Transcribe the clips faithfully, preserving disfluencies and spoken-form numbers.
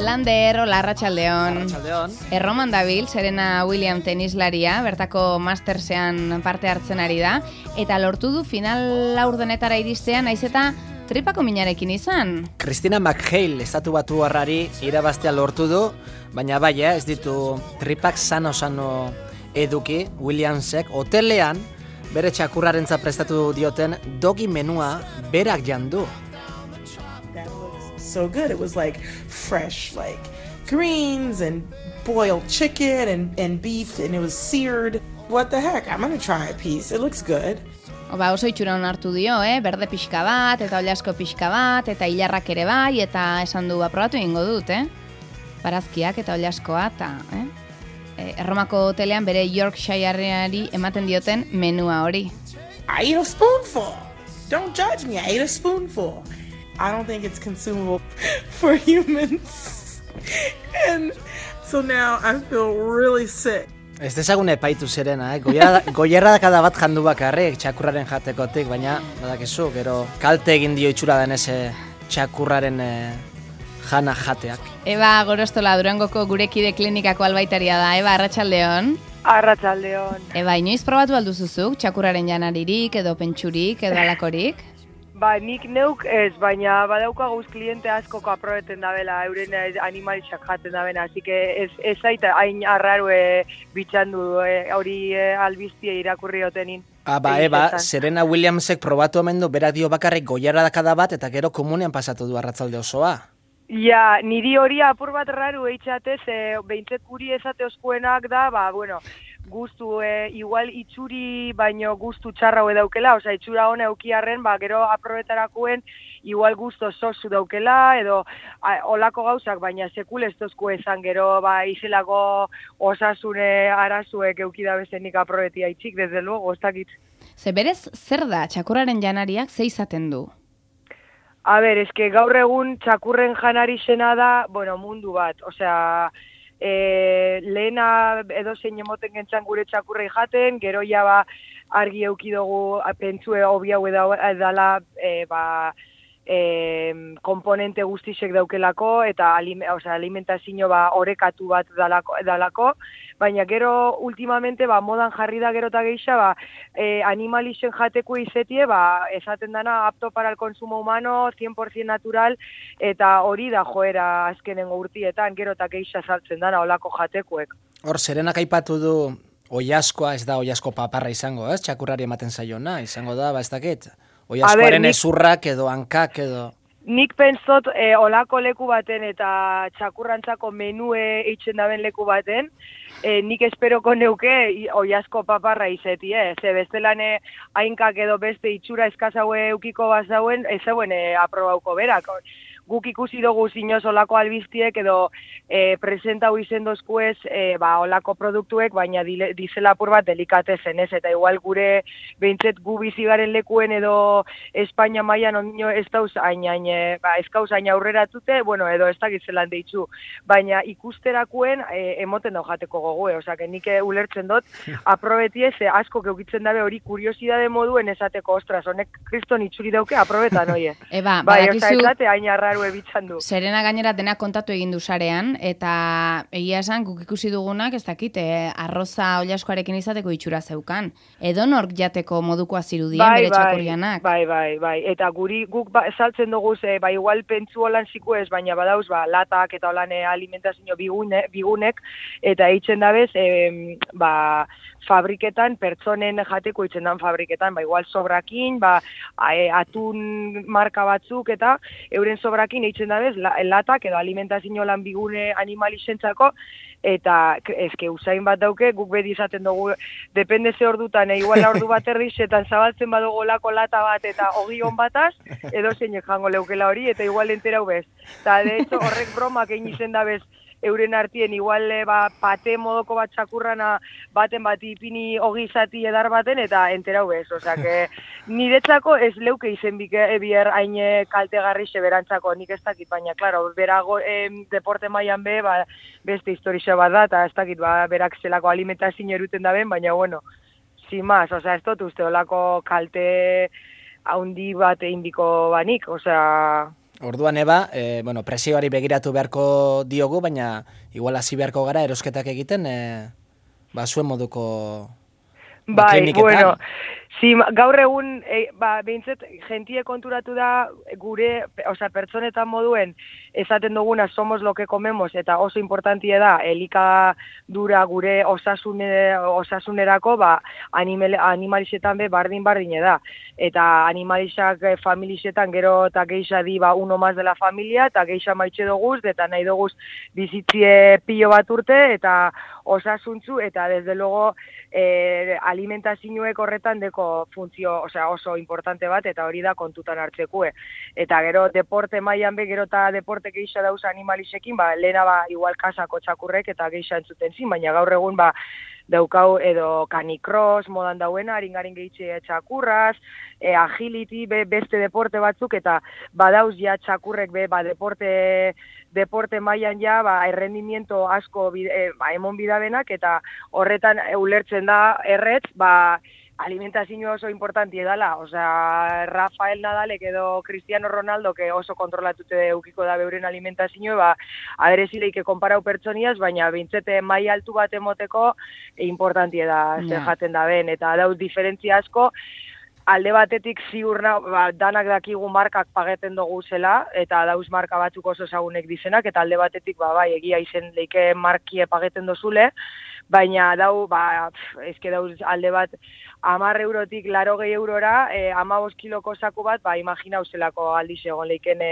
Lander, hola, arratsaldeon. Arratsaldeon. Erroman dabil, Serena Williams tenislaria, bertako Mastersean parte hartzen ari da, eta lortu du final laurdenetara iristean, naiz eta tripako minarekin izan. Christina McHale estatu batu harrari irabaztea lortu du, baina bai, eh, ez ditu tripak sano-sano eduki Williamsek hotelean bere txakurrarentza prestatu dioten dogi menua berak jandu. So good. It was like fresh, like greens and boiled chicken and, and beef, and it was seared. What the heck? I'm gonna try a piece. It looks good. Ba, oso itxura hartu dio, eh? Berde pixka bat, eta oliasko pixka bat, eta hilarrak ere bai, eta esan du aprobatu egingo dut, eh? Barazkiak eta oliaskoa, eta, eh? Erromako hotelean bere Yorkshireari ematen dioten menua hori. I ate a spoonful. Don't judge me. I ate a spoonful. I don't think it's consumable for humans. And so now I feel really sick. Ez dezagun epaitu Serena, eh? Goierra kada bat jandu bakarrik txakurraren jatekotik, baina badakizu, gero kalte egin dio itxura denez txakurraren eh, jana jateak. Eba Gorostola, Durangoko gurekide klinikako albaitaria da. Eba, arratsaldeon. Arratsaldeon. Eba, inoiz probatu alduzuzuk txakurraren janaririk edo pentsurik edo alakorik? Ba, nik neuk ez, baina badaukaguz kliente askoko aprobeten dabela, euren animalixak jaten dabena, así que ez, ez zaita hain arrarue bitxandu hori e, albiztie irakurri otenin. Ah, ba, eba, Serena Williamsek probatu omen du, berak dio bakarrik goierra dakada bat, eta gero komunean pasatu du arratzalde osoa. Ja, niri hori apur bat raru eitxatez, e, behintzet guri ezate oskuenak da, ba, bueno, guztu, e, igual itxuri baino guztu txarra hue daukela, oza, itxura hone aukiarren, ba, gero aprobetarakuen, igual guztu sosu daukela, edo a, olako gauzak, baina sekul ez tozku ezan, gero, ba, izelako osasune arazuek eukidabezenik aprobetia itxik, desde luego, ez dakit. Ze berez, zer da, txakurraren janariak ze izaten du? A ber, eske gaur egun txakurren janari zena da, bueno, mundu bat, osea, e, lehena edo zein emoten gentzan gure txakurrei jaten, gero ja ba argi eukidogu pentsue hobi hau edala, e, ba, e, komponente guztisek daukelako, eta alime, osea, alimentazio ba orekatu bat dalako, dalako, baina gero ultimamente ba modan jarri da gero eta geixa ba eh, animalixen jateko izetie ba esaten dana apto para el consumo humano, cien por ciento natural, eta hori da joera azkenengo urtietan gero eta geixa saltzen dana olako jatekuek. Hor, Serenak aipatu du oiaskoa, ez da oiasko paparra izango, ez? Txakurrari ematen zaiona, izango da, ba ez dakit. Oiaskoaren ezurrak edo hankak edo... Nik pentsot e, olako leku baten eta txakurrantzako menue eitzen daben leku baten, e, nik esperoko neuke oiasko paparra izeti, eh? Ze bestelane hainkak edo beste itxura eskazaue eukiko bazauen, ez zeuen e, aprobauko berak. Guk ikusi dugu zinoz olako albiztiek edo e, presentau izendozkuez e, ba, olako produktuek, baina dile, dizelapur bat delikatezen ez, eta igual gure behintzet gu bizigaren lekuen edo Espainia mailan ondino ez dauz hain, hain, ba, ez gauz hain aurreratute, bueno, edo ez dakit zelan deitzu, baina ikusterakuen e, emoten dau jateko gogue, osea, nik ulertzen dut, aprobetie ze asko keukitzen dabe hori kuriosidade moduen esateko, ostras, honek kriston itxuri dauke aprobetan, oie. Eba, bai, badakizu... Oza, esate hain arraru ebitzan du. Serena gainera dena kontatu egin du sarean, eta egia esan guk ikusi dugunak, ez dakit, eh, arroza oliaskoarekin izateko itxura zeukan. Edo nork jateko modukoa zirudien bai, bere txakurrianak. Bai, bai, bai. Eta guri guk ba, saltzen dugu ze, ba, igual pentsu holan ziku ez, baina badauz, ba, latak eta holan alimentazio bigune, bigunek, eta eitzen dabez, e, ba, fabriketan, pertsonen jateko itzen dan fabriketan, ba, igual sobrakin, ba, atun marka batzuk, eta euren sobrakin eitzen dabez, latak edo alimentazio lan bigune animalizentzako, eta eske usain bat dauke, guk bedi izaten dugu, depende ze ordutan, e, igual ordu bat erdixetan zabaltzen badugu lako lata bat eta hogi hon bataz, edo zeinek jango leukela hori, eta igual enterau bez. Eta, de hecho, horrek bromak egin izen da bez, euren artien, igual ba, pate modoko bat txakurrana baten bat ipini hogi zati edar baten, eta enterau bez. Osea, que niretzako ez leuke izen bier hain kaltegarri seberantzako, nik ez dakit, baina, klaro, berago eh, deporte mailan be, ba, beste historia bat da, eta ez dakit, ba, berak zelako alimentazio eruten daben, baina, bueno, sin más, osea, ez dut uste olako kalte haundi bat egin biko banik, osea... Orduan eba, e, bueno, presioari begiratu beharko diogu, baina igual hasi beharko gara erosketak egiten, e, ba, zuen moduko ba, bai, kliniketan. Bueno, si, gaur egun, e, ba, behintzet, jentie konturatu da gure, osea, pertsonetan moduen, esaten duguna somos lo que comemos, eta oso importantie da, elikadura gure osasune, osasunerako, ba, animal, animalixetan be bardin-bardine da. Eta animalixak eh, familixetan gero eta geixa di, ba, uno más de la familia, eta geixa maitxe doguz, eta nahi doguz bizitzie pilo bat urte, eta osasuntzu, eta desde luego eh, alimentazioek horretan deko funtzio, osea, oso importante bat, eta hori da kontutan hartzekue. Eta gero deporte mailan be, gero eta deporte geixa dauz animalixekin, ba, lehena ba, igual kasako txakurrek eta geixa entzuten zin, baina gaur egun ba, daukau edo canicross modan dauena, haringarin gehitxe txakurraz, e, agility, be, beste deporte batzuk, eta badauz ja txakurrek be, ba, deporte, deporte mailan ja, ba, errendimiento asko bide, ba, emon bidabenak, eta horretan ulertzen da erretz, ba, alimentazio oso importanti dela, osea, Rafael Nadalek edo Cristiano Ronaldo, que oso kontrolatute eukiko da beuren alimentazio, ba, aderezileike konparau pertsoniaz, baina bintzete mai altu bat emoteko importantie da, yeah. Zer jaten da ben, eta dauz diferentzia asko, alde batetik ziurna, ba, danak dakigu markak pageten dugu zela, eta dauz marka batzuk oso ezagunek dizenak, eta alde batetik, ba, bai, egia izen leike markie pageten dozule, baina dau, ba, ezke dauz alde bat, amar eurotik laro gehi eurora, e, amabos kiloko saku bat, ba, imagina zelako aldiz egon leiken e,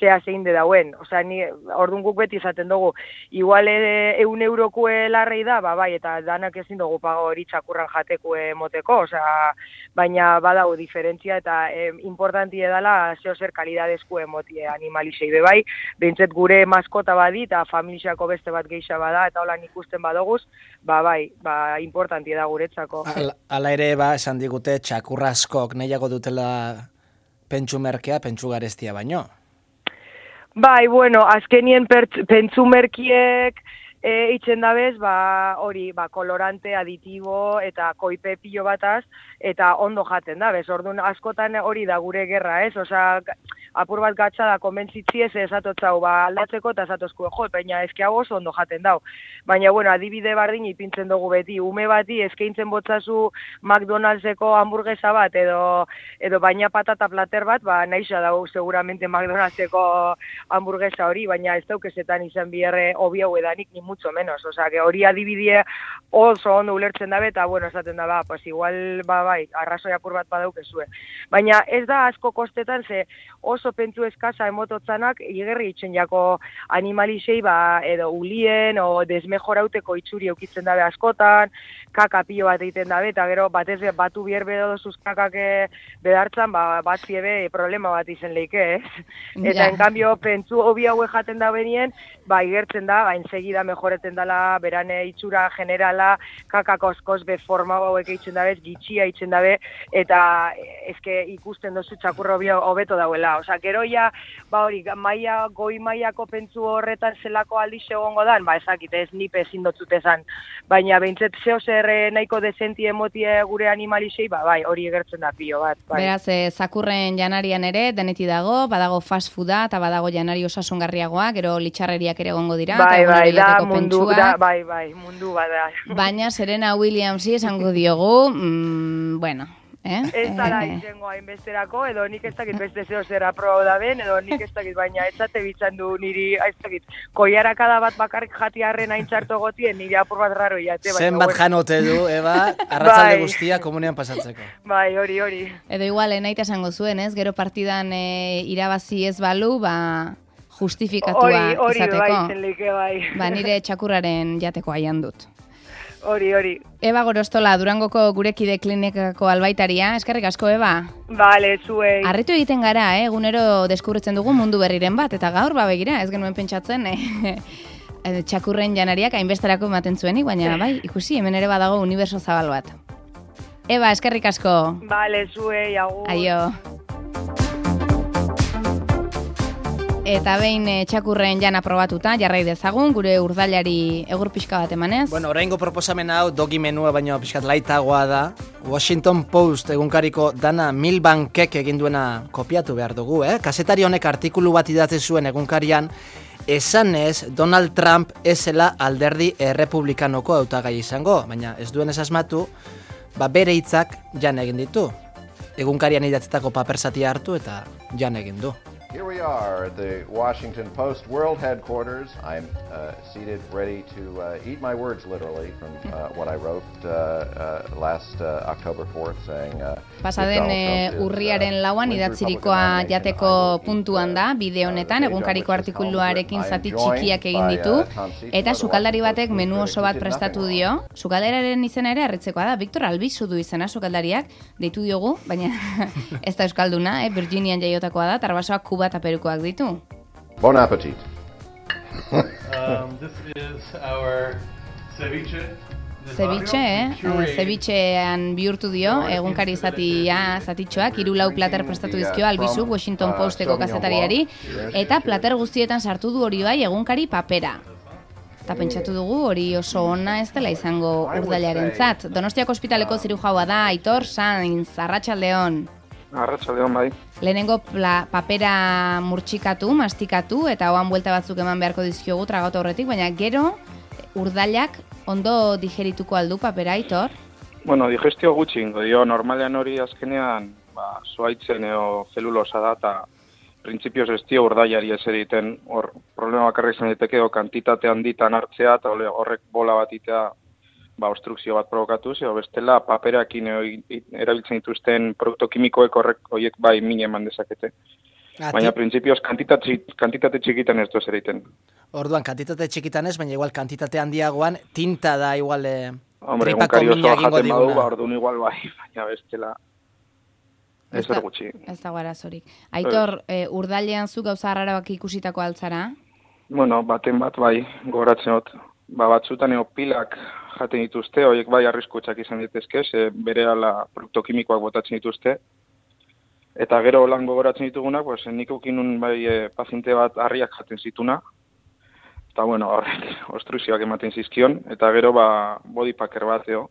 zea zein de dauen. Osea, ni, orduan guk beti izaten dugu, igual e, eun eurokue larrei da, ba, bai, eta danak ezin dugu pago hori txakurran jatekue moteko, osea, baina badau diferentzia, eta e, importantie dela zeo zer kalidadezku emotie animalisei be bai, behintzet gure maskota badi, eta familiako beste bat geixa bada, eta holan ikusten badoguz, ba, bai, ba, importantie da guretzako. Ala, ala ere, ba, esan digute txakurra askok nahiago dutela pentsu merkea, pentsu garestia baino. Bai, bueno, azkenien pentsu merkiek e, itxen dabez, ba, hori, ba, kolorante, aditibo eta koipe pilo bataz, eta ondo jaten da, bez, orduan askotan hori da gure gerra, ez? Osa, apur bat gatsa da, konbentzitzi ez esatotzau, ba, aldatzeko eta esatozko, jo, baina ezke hau oso ondo jaten dau. Baina, bueno, adibide bardin ipintzen dugu beti, ume bati eskaintzen botzazu McDonald'seko hamburguesa bat, edo, edo baina patata plater bat, ba, nahixa dau seguramente McDonald'seko hamburguesa hori, baina ez daukezetan izan biherre hobi hau edanik, ni mucho menos, osea, que hori adibidea oso ondo ulertzen dabe, eta, bueno, esaten da, ba, pues igual, ba, bai, arrazoi apur bat badaukezue. Baina ez da asko kostetan, ze oso pentsu eskasa emototzanak, igerri itxen jako animalisei, ba, edo ulien, o desmejorauteko itxuri eukitzen dabe askotan, kaka pilo bat egiten dabe, eta gero batez batu bier bedo dozuz kakak bedartzan, ba, bat ziebe problema bat izen leike, ez? Eta, en cambio, pentsu hobi haue jaten da benien, ba, igertzen da, ba, ensegida mejoreten dala, berane itxura generala, kakako oskoz be forma hauek eitzen dabe, gitxia eitzen dabe, eta ezke ikusten dozu txakurro hobeto dauela. Osa, gero ja, ba hori, maia, goi maiako pentsu horretan zelako aldiz egongo dan, ba ezakit, ez nipe ezin dotzut ezan, baina behintzet zeo zer nahiko dezenti emotie gure animalisei, ba bai, hori egertzen da pilo bat. Bai. Beraz, e, zakurren janarian ere, deneti dago, badago fast fooda, eta badago janari osasungarriagoa, gero litxarreriak ere egongo dira, bai, eta bai, da, mundu, da, bai, bai, mundu bada. Baina Serena Williamsi esango diogu, mm, bueno, eh? Ez da da izango hainbesterako, edo nik ez dakit beste zeo zera proba da ben, edo nik ez dakit, baina ez zate bitzan du niri, ez dakit, koiarakada bat bakarrik jatiarren haintxarto gotien, niri apur bat raro jate. Zen bat janote du, Eba, arratzalde bai. Guztia komunean pasatzeko. Bai, hori, hori. Edo igual, enaita esango zuen, ez? Gero partidan e, irabazi ez balu, ba, justifikatua hori, hori, izateko. Bai, zenleike, bai. Ba, nire txakurraren jateko aian dut. Hori, hori. Eba Gorostola, Durangoko gurekide klinikako albaitaria. Eskerrik asko, Eba. Bale, zuei. Arritu egiten gara, eh? Egunero deskubritzen dugu mundu berriren bat, eta gaur, ba, begira, ez genuen pentsatzen, eh? Txakurren janariak hainbesterako ematen zuenik, baina bai, ikusi, hemen ere badago uniberso zabal bat. Eba, eskerrik asko. Bale, zuei, agur. Aio. Eta behin e, txakurren jana probatuta, jarrai dezagun, gure urdailari egur pixka bat emanez. Bueno, oraingo proposamen hau dogi menua baino pixkat laitagoa da. Washington Post egunkariko Dana Milbankek egin duena kopiatu behar dugu, eh? Kazetari honek artikulu bat idatzi zuen egunkarian, esanez Donald Trump ezela alderdi errepublikanoko hautagai izango, baina ez duen asmatu, ba bere hitzak jan egin ditu. Egunkarian idatzitako paper zatia hartu eta jan egin du. Here we are at the Washington Post World Headquarters. I'm uh, seated, ready to uh, eat my words literally from uh, what I wrote uh, uh, last uh, October fourth, saying... Uh, Pasaden e, urriaren lauan idatzirikoa jateko puntuan da, bide honetan, egunkariko artikuluarekin zati txikiak egin ditu, eta sukaldari batek menu oso bat prestatu dio. Sukaldararen izena ere harritzekoa da, Victor Albizu du izena sukaldariak, deitu diogu, baina ez da euskalduna, eh, Virginian jaiotakoa da, tarbasoak Kuba eta Perukoak ditu. Bon appetit. um, this is our ceviche. Ceviche, eh? Cevichean bihurtu dio, egunkari zatia, zatitxoak, hiru lau plater prestatu dizkio Albizu, Washington Posteko kazetariari, eta plater guztietan sartu du hori bai egunkari papera. Eta pentsatu dugu hori oso ona ez dela izango urdailarentzat. Donostiako ospitaleko zirujaua da, Aitor Sainz, arratsaldeon. Arratsaldeon bai. Lehenengo pla, papera murtxikatu, mastikatu, eta hoan buelta batzuk eman beharko dizkiogu tragatu horretik, baina gero urdailak ondo digerituko aldu papera, Aitor? Bueno, digestio gutxi ingo dio, normalean hori azkenean, ba, zuaitzen eo zelulosa da, eta printzipioz ez dio urdailari ez egiten, hor problema bakarrik izan daiteke, kantitate handitan hartzea, eta horrek bola bat itea, ba, obstrukzio bat provokatuz, edo bestela paperakin erabiltzen dituzten produktu kimikoek horrek horiek bai min eman dezakete. Ati. Baina printzipioz kantitate, kantitate txikitan ez doz egiten. Orduan, kantitate txikitan ez, baina igual kantitate handiagoan tinta da igual eh, Hombre, tripako mina egingo diguna. Badu, ba, orduan igual bai, baina bestela ez da gutxi. Ez da guarazorik. Aitor, eh, urdailean zu gauza harrarabak ikusitako altzara? Bueno, baten bat bai, gogoratzen dut. Ba, batzutan eo pilak jaten dituzte, horiek bai arriskutsak izan ditezke, ze berehala produktu kimikoak botatzen dituzte. Eta gero lan gogoratzen ditugunak, pues, nik ukinun bai e, paziente bat harriak jaten zituna. Eta bueno, horrek obstrukzioak ematen zizkion, eta gero ba bodypacker bat eo,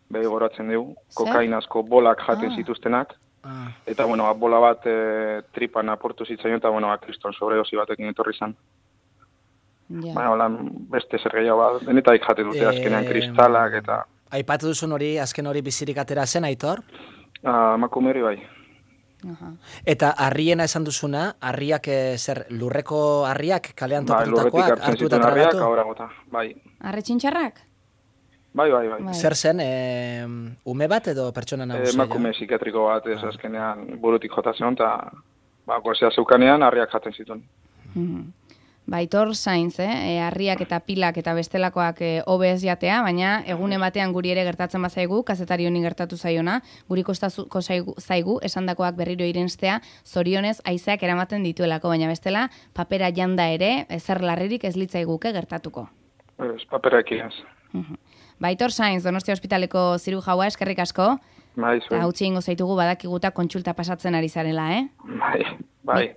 bai gogoratzen dugu, kokainazko bolak jaten ah. zituztenak. Ah. Eta bueno, bola bat e, tripan aportu zitzaion, eta bueno, kriston sobredosi batekin etorri zan. Ja. Baina, holan, beste zer gehiago bat, denetaik jate dute azkenean e... kristalak eta... Aipatu duzun hori, azken hori bizirik atera zen, Aitor? Uh, Makumeri bai. Uh-huh. Eta harriena esan duzuna, harriak e, zer, lurreko harriak, kalean topatutakoak, bai, hartu eta trabatu? Harriak, bai. Arre txintxarrak? Bai, bai, bai. Zer zen, e, ume bat edo pertsona nagusia? Emakume psikiatriko bat, ez azkenean burutik jota zen, eta ba, gozea zeukanean harriak jaten zituen. Mm-hmm. Baitor Sainz, eh? Harriak eta pilak eta bestelakoak hobe ez jatea, baina egune batean guri ere gertatzen bazaigu, kazetari honi gertatu zaiona, guri kostatuko zaigu, esandakoak berriro irenstea, zorionez haizeak eramaten dituelako, baina bestela papera janda ere, ezer larririk ez litzaiguke gertatuko. Ez, papera ekiaz. Baitor Sainz, Donostia Ospitaleko zirujaua, eskerrik asko. Bai, zuen. Eta hautsi ingo zaitugu badakiguta kontsulta pasatzen ari zarela, eh? Bai, bai.